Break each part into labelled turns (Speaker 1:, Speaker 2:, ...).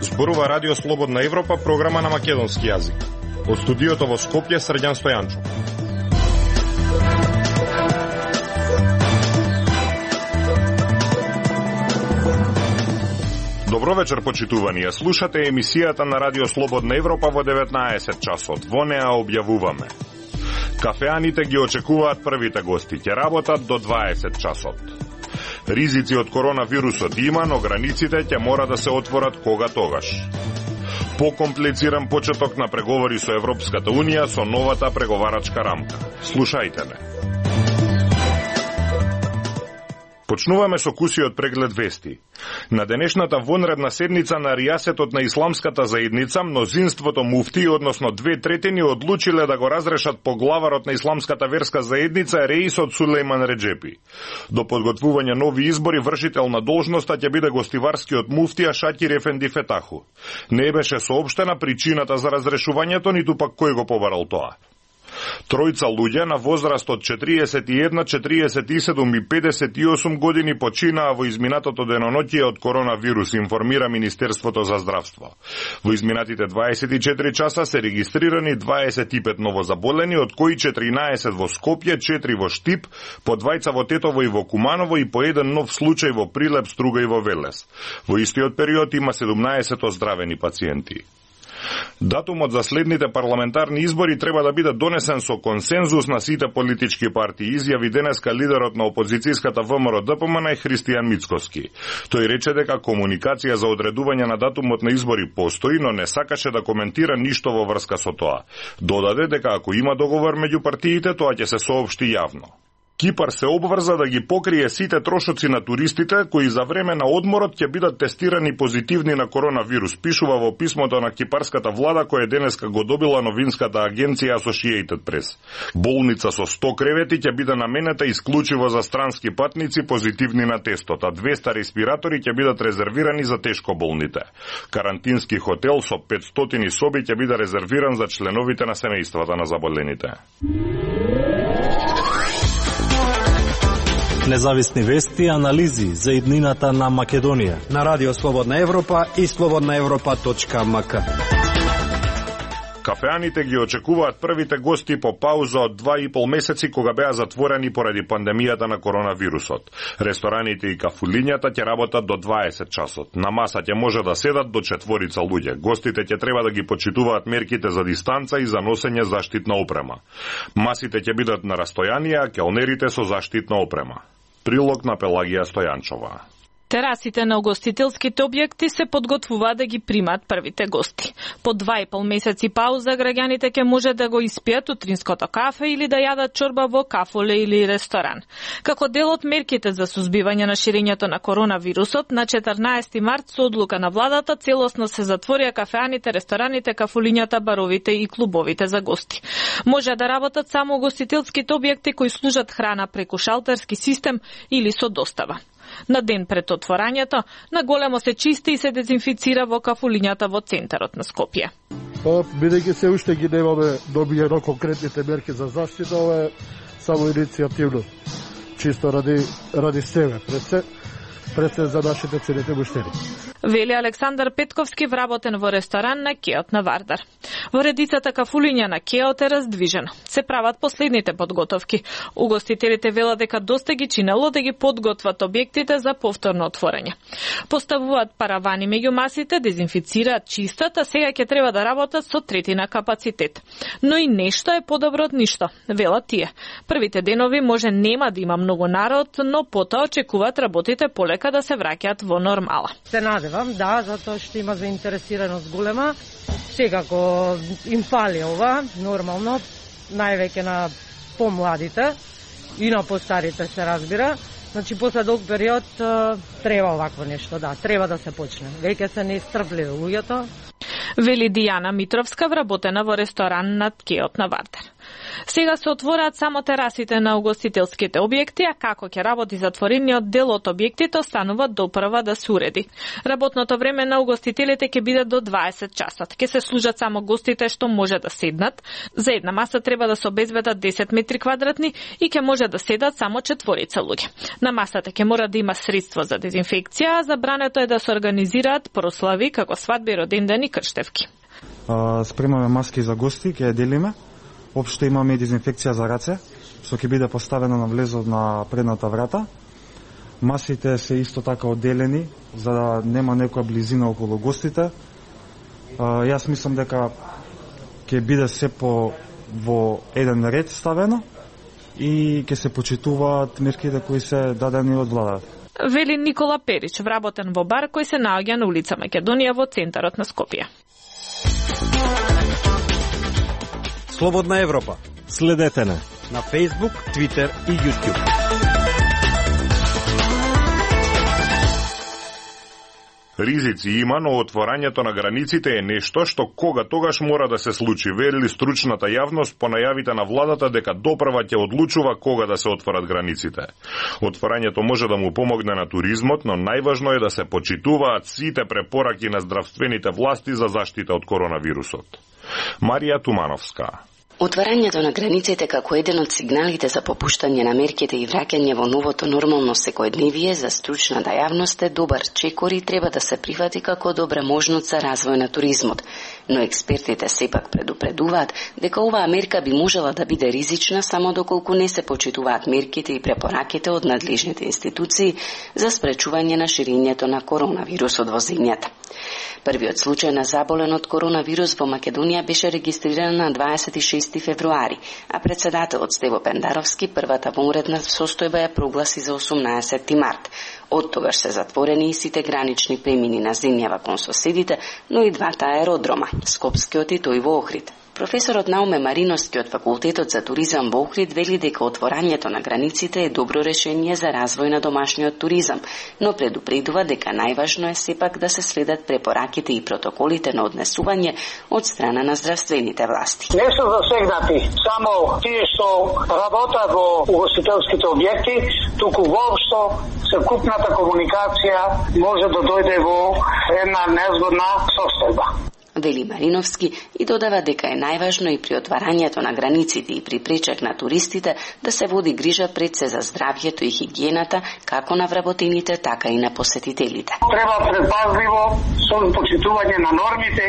Speaker 1: Зборува Радио Слободна Европа, програма на македонски јазик. Од студиото во Скопје, Срđan Стојанчов. Добро вечер, почитувани. Ја слушате емисијата на Радио Слободна Европа во 19 часот. Во неа објавуваме: кафеаните ги очекуваат првите гости, ќе работат до 20 часот. Ризици од коронавирусот има, но границите ќе мора да се отворат кога тогаш. Покомплициран почеток на преговори со Европската Унија со новата преговарачка рамка. Слушајте ме. Почнуваме со кусиот преглед вести. На денешната вонредна седница на ријасетот на исламската заедница, мнозинството муфти, односно 2/3, одлучиле да го разрешат поглаварот на исламската верска заедница Реисот Сулејман Реджепи. До подготвување нови избори вршител на должноста ќе биде гостиварскиот муфтија Шакир Ефенди Фетаху. Не беше соопштена причината за разрешувањето, ниту пак кој го побарал тоа. Тројца луѓе на возраст од 41, 47 и 58 години починаа во изминатото деноноќие од коронавирус, информира Министерството за здравство. Во изминатите 24 часа се регистрирани 25 новозаболени, од кои 14 во Скопје, 4 во Штип, по 2 во Тетово и во Куманово и по еден нов случај во Прилеп, Струга и во Велес. Во истиот период има 17 оздравени пациенти. Датумот за следните парламентарни избори треба да биде донесен со консензус на сите политички партии, изјави денеска лидерот на опозицијската ВМРО-ДПМН Христијан Мицкоски. Тој рече дека комуникација за одредување на датумот на избори постои, но не сакаше да коментира ништо во врска со тоа. Додаде дека ако има договор меѓу партиите, тоа ќе се соопшти јавно. Кипар се обврза да ги покрие сите трошоци на туристите кои за време на одморот ќе бидат тестирани позитивни на коронавирус, пишува во писмото на кипарската влада која денеска го добила новинската агенција Associated Press. Болница со 100 кревети ќе биде наменета исклучиво за странски патници позитивни на тестот, а 200 респиратори ќе бидат резервирани за тешко болните. Карантински хотел со 500 соби ќе биде резервиран за членовите на семејствата на заболените.
Speaker 2: Независни вести и анализи за иднината на Македонија
Speaker 3: на Радио Слободна Европа и slobodnaevropa.mk.
Speaker 1: Кафеаните ги очекуваат првите гости по пауза од 2,5 месеци кога беа затворени поради пандемијата на коронавирусот. Рестораните и кафулињата ќе работат до 20 часот. На маса ќе може да седат до 4 луѓе. Гостите ќе треба да ги почитуваат мерките за дистанца и за носење заштитна опрема. Масите ќе бидат на растојанија, а келнерите со заштитна опрема. Прилог на Пелагија Стојанчова.
Speaker 4: Терасите на угостителските објекти се подготвуваат да ги примат првите гости. По 2,5 месеци пауза граѓаните ќе може да го испијат утринското кафе или да јадат чорба во кафоле или ресторан. Како дел од мерките за сузбивање на ширењето на коронавирусот, на 14 март со одлука на владата целосно се затворија кафеаните, рестораните, кафулињата, баровите и клубовите за гости. Може да работат само угостителските објекти кои служат храна преку шалтерски систем или со достава. На ден пред отворањето, наголемо се чисти и се дезинфицира во кафулињата во центарот на Скопје.
Speaker 5: Бидејќи се уште ги немаме добиено конкретните мерки за заштита, ова е само иницијативно, чисто ради себе, пред се за нашите целите буштери.
Speaker 4: Вели Александар Петковски, вработен во ресторан на Кеот на Вардар. Во редицата кафулиња на Кеот е раздвижено. Се прават последните подготовки. Угостителите велат дека доста ги чинело да ги подготват објектите за повторно отворање. Поставуваат паравани меѓу масите, дезинфицираат, чистат, а сега ќе треба да работат со третина капацитет. Но и нешто е подобро од ништо, велат тие. Првите денови може нема да има многу народ, но потоа очекуваат работите полека да се враќаат во нормала.
Speaker 6: Се надевам, да, затоа што има заинтересираност голема. Секако им фали ова, нормално, највеќе на помладите и на постарите се разбира. Значи, после долг период треба овакво нешто, да, треба да се почне. Веќе се неистрпливи луѓето.
Speaker 4: Вели Дијана Митровска, вработена во ресторан над Кеот на Вардар. Сега се отвораат само терасите на угостителските објекти, а како ќе работи затворениот дел од објектите останува допрва да се уреди. Работното време на угостителите ќе биде до 20 часот. Ќе се служат само гостите што може да седнат. За една маса треба да се обезбедат 10 метри квадратни и ќе може да седат само 4 луѓе. На масата ќе мора да има средство за дезинфекција, а забрането е да се организираат прослави како свадби, родендени и крштевки.
Speaker 7: Спремаме маски за гости, ќе ја делиме. Општо имаме и дезинфекција за раце, што ќе биде поставено на влезот на предната врата. Масите се исто така одделени, за да нема некоја близина околу гостите. Јас мислам дека ќе биде се во еден ред ставено и ќе се почитуваат мерките кои се дадени од владата.
Speaker 4: Вели Никола Перич, вработен во бар кој се наоѓа на улица Македонија во центарот на Скопје.
Speaker 3: Слободна Европа.
Speaker 2: Следете не
Speaker 3: На Facebook, Twitter и YouTube.
Speaker 1: Ризици има, но отворањето на границите е нешто што тогаш мора да се случи, вели стручната јавност по најавите на владата дека допрва ќе одлучува кога да се отворат границите. Отворањето може да му помогне на туризмот, но најважно е да се почитуваат сите препораки на здравствените власти за заштита од коронавирусот. Марија Тумановска.
Speaker 8: Отварањето на границите како еден од сигналите за попуштање на мерките и враќање во новото нормално секојдневие за стручната јавност е добар чекор и треба да се прифати како добра можност за развој на туризмот. Но експертите сепак предупредуваат дека оваа мерка би можела да биде ризична само доколку не се почитуваат мерките и препораките од надлежните институции за спречување на ширењето на коронавирусот во земјата. Првиот случај на заболен од коронавирус во Македонија беше регистриран на 26 февруари, а председателот Стево Пендаровски првата вонредна состојба ја прогласи за 18 март. Од тогаш се затворени и сите гранични премини на земјава кон соседите, но и двата аеродрома, Скопскиот и тој во Охрид. Професорот Науме Мариновски од Факултетот за туризам во Охрид вели дека отворањето на границите е добро решение за развој на домашниот туризам, но предупредува дека најважно е сепак да се следат препораките и протоколите на однесување од страна на здравствените власти.
Speaker 9: Не се засегнати само тие што работат во угостителските објекти, туку воопшто секупната комуникација може да дојде во една незгодна состојба.
Speaker 8: Вели Мариновски и додава дека е најважно и при отварањето на границите и при пречек на туристите да се води грижа пред се за здравјето и хигиената како на вработените, така и на посетителите.
Speaker 9: Треба предпазливо со почитување на нормите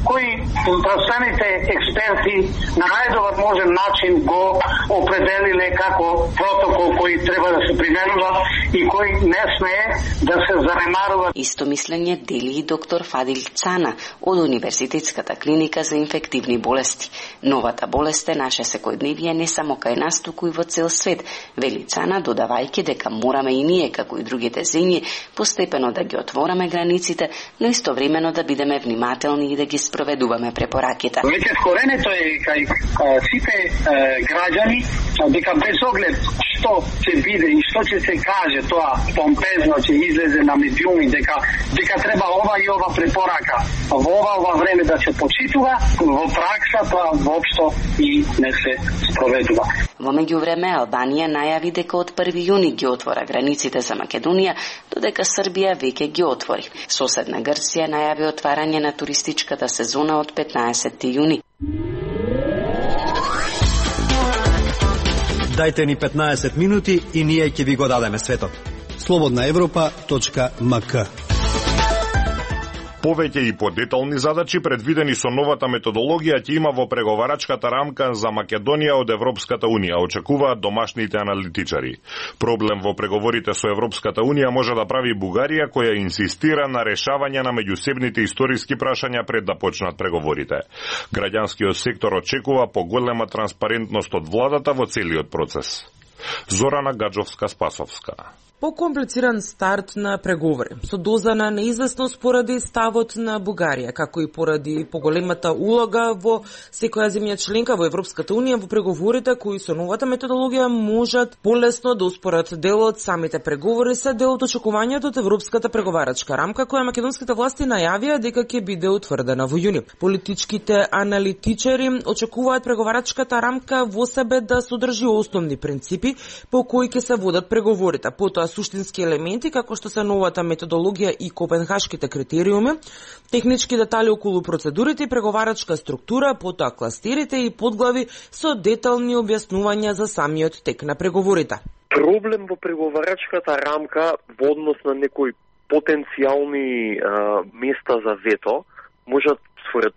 Speaker 9: кои здравствените експерти на најдобар можен начин го определиле како протокол кој треба да се применува и кој не смее да се занемарува.
Speaker 8: Исто мислење дели и доктор Фадил Цана од Универзитетската клиника за инфективни болести. Новата болест е наше секојдневие не само кај нас, туку и во цел свет, вели Цана, додавајќи дека мораме и ние, како и другите земји, постепено да ги отвораме границите, но истовремено да бидеме внимателни и да ги спроведуваме препораките.
Speaker 9: Веќе скоренето е кај сите граѓани дека без оглед што ќе биде и што ќе се каже, тоа помпезно ќе излезе на медиуми дека треба ова и ова препорака. Во ова време да се почитува, во пракса тоа воопшто и не се спроведува.
Speaker 8: Во меѓувреме Албанија најави дека од 1 јуни ги отвора границите за Македонија, додека Србија веќе ги отвори. Соседна Грција најави отварање на туристичката сезона од 15 јуни.
Speaker 3: Дајте ни 15 минути и ние ќе ви го дадеме светот. slobodnaevropa.mk.
Speaker 1: Повеќе и подетални задачи предвидени со новата методологија ќе има во преговарачката рамка за Македонија од Европската Унија, очекуваат домашните аналитичари. Проблем во преговорите со Европската Унија може да прави Бугарија, која инсистира на решавање на меѓусебните историски прашања пред да почнат преговорите. Граѓанскиот сектор очекува поголема транспарентност од владата во целиот процес. Зорана Гаджовска-Спасовска.
Speaker 10: Покомплициран старт на преговори, со доза на неизвестност поради ставот на Бугарија, како и поради поголемата улога во секоја земја членка во Европската Унија во преговорите кои со новата методологија можат полесно да успорат делот. Самите преговори се дел од очекувањето од Европската преговарачка рамка, која македонските власти најавија дека ќе биде утврдена во јуни. Политичките аналитичари очекуваат преговарачката рамка во себе да содржи основни принципи по кои ќе се водат преговорите. Потоа суштински елементи, како што се новата методологија и копенхашките критериуми, технички детали околу процедурите и преговарачка структура, потоа кластерите и подглави со детални објаснувања за самиот тек на преговорите.
Speaker 11: Проблем во преговарачката рамка во однос на некои потенцијални места за вето, можат, според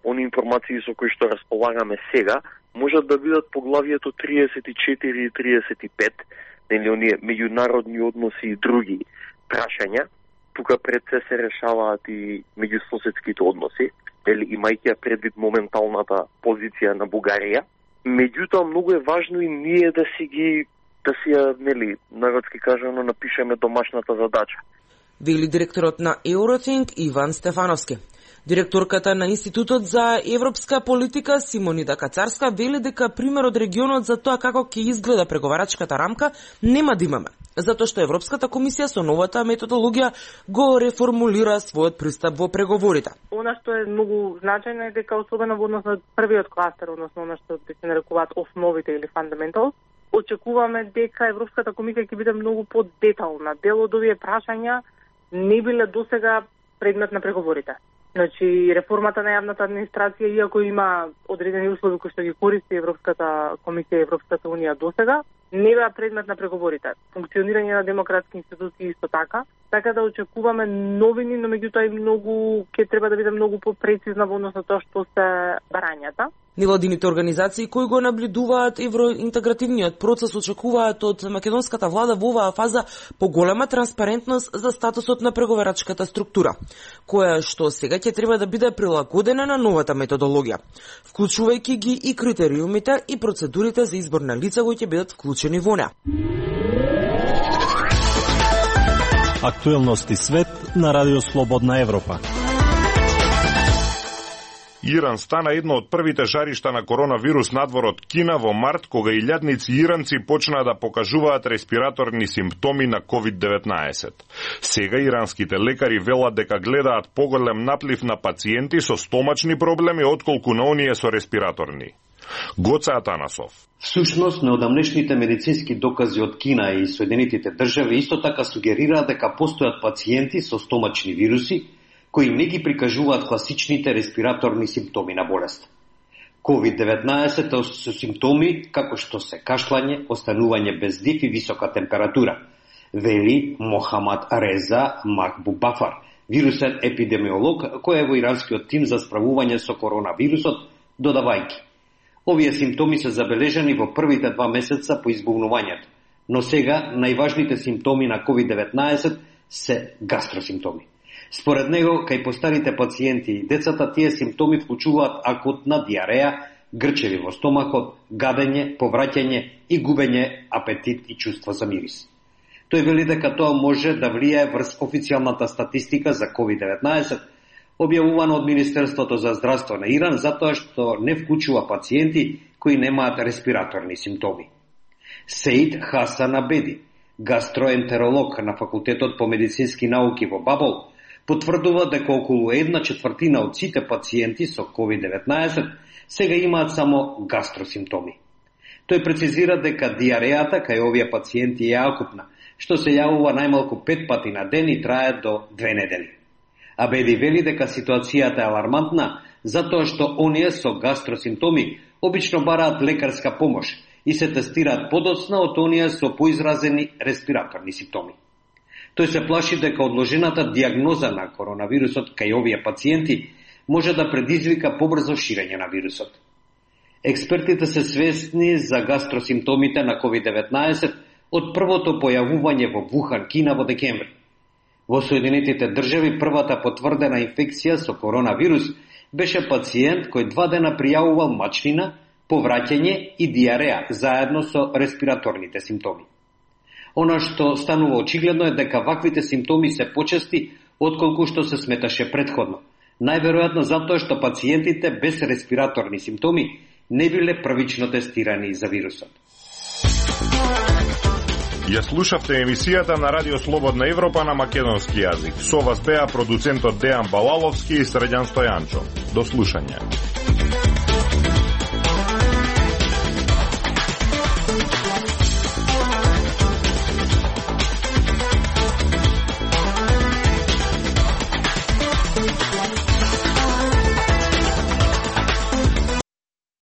Speaker 11: они информации со кои што располагаме сега, можат да бидат поглавието 34 и 35, нели оние меѓународни односи и други прашања. Тука пред се решаваат и меѓусоседските односи, нели имајќи предвид моменталната позиција на Бугарија. Меѓутоа многу е важно и ние да си нели народски кажано напишеме домашната задача.
Speaker 10: Вели директорот на Eurothink Иван Стефановски. Директорката на Институтот за европска политика Симонида Кацарска вели дека пример од регионот за тоа како ќе изгледа преговарачката рамка нема да имаме, затоа што Европската комисија со новата методологија го реформулира својот пристап во преговорите.
Speaker 12: Она што е многу значајно е дека особено во однос на првиот кластер, односно она што се нарекуваат основите или fundamentals, очекуваме дека Европската комисија ќе биде многу подетална. Дел од овие прашања не биле досега предмет на преговорите. Значи, реформата на јавната администрација, иако има одредени услови кои што ги користи Европската комисија и Европската унија досега, не беа предмет на преговорите. Функционирање на демократски институции исто така. Така да очекуваме новини, но меѓутоа и многу ќе треба да биде многу попрецизна во однос на тоа што се барањата.
Speaker 10: Невладините организации кои го наблюдуваат евроинтегративниот процес очекуваат од македонската влада во оваа фаза поголема транспарентност за статусот на преговарачката структура, која што сега ќе треба да биде прилагодена на новата методологија, вклучувајќи ги и критериумите и процедурите за избор на лица кои ќе бидат вклучени во неа.
Speaker 2: Актуелности свет на Радио Слободна Европа.
Speaker 1: Иран стана едно од првите жаришта на коронавирус надвор од Кина во март, кога илјадници иранци почнаа да покажуваат респираторни симптоми на COVID-19. Сега иранските лекари велат дека гледаат поголем наплив на пациенти со стомачни проблеми отколку на оние со респираторни. Гоце Атанасов.
Speaker 13: Всушност, неодамнешните медицински докази од Кина и Соединетите држави исто така сугерираат дека постојат пациенти со стомачни вируси кои не ги прикажуваат класичните респираторни симптоми на болест. COVID-19 со симптоми како што се кашлање, останување без дих и висока температура, вели Мохамад Реза Макбубафар, вирусен епидемиолог кој е во иранскиот тим за справување со коронавирусот, додавајќи: овие симптоми се забележани во првите 2 месеца по избувнувањето, но сега најважните симптоми на COVID-19 се гастросимптоми. Според него, кај постарите пациенти и децата, тие симптоми вклучуваат акутна диареја, грчеви во стомахот, гадење, повраќање и губење апетит и чувство за мирис. Тој вели дека тоа може да влијае врз официјалната статистика за COVID-19, објавувано од Министерството за здравство на Иран, затоа што не вклучува пациенти кои немаат респираторни симптоми. Сеид Хасан Абеди, гастроентеролог на Факултетот по медицински науки во Бабол, потврдува дека околу 1/4 од сите пациенти со COVID-19 сега имаат само гастросимптоми. Тој прецизира дека диарејата кај овие пациенти е акутна, што се јавува најмалку 5 пати на ден и трае до 2 недели. Абеди вели дека ситуацијата е алармантна, затоа што оние со гастросимптоми обично бараат лекарска помош и се тестираат подоцна од оние со поизразени респираторни симптоми. Тој се плаши дека одложената диагноза на коронавирусот кај овие пациенти може да предизвика побрзо ширење на вирусот. Експертите се свесни за гастросимптомите на COVID-19 од првото појавување во Вухан, Кина во декември. Во Соединетите држави првата потврдена инфекција со коронавирус беше пациент кој 2 дена пријавувал мачнина, повраќање и диареја заедно со респираторните симптоми. Она што станува очигледно е дека ваквите симптоми се почести отколку што се сметаше претходно. Најверојатно затоа што пациентите без респираторни симптоми не биле првично тестирани за вирусот.
Speaker 1: Ја слушавте емисијата на Радио Слободна Европа на македонски јазик. Со вас беа продуцентот Дејан Балаловски и Средјан Стојанчо. До слушање.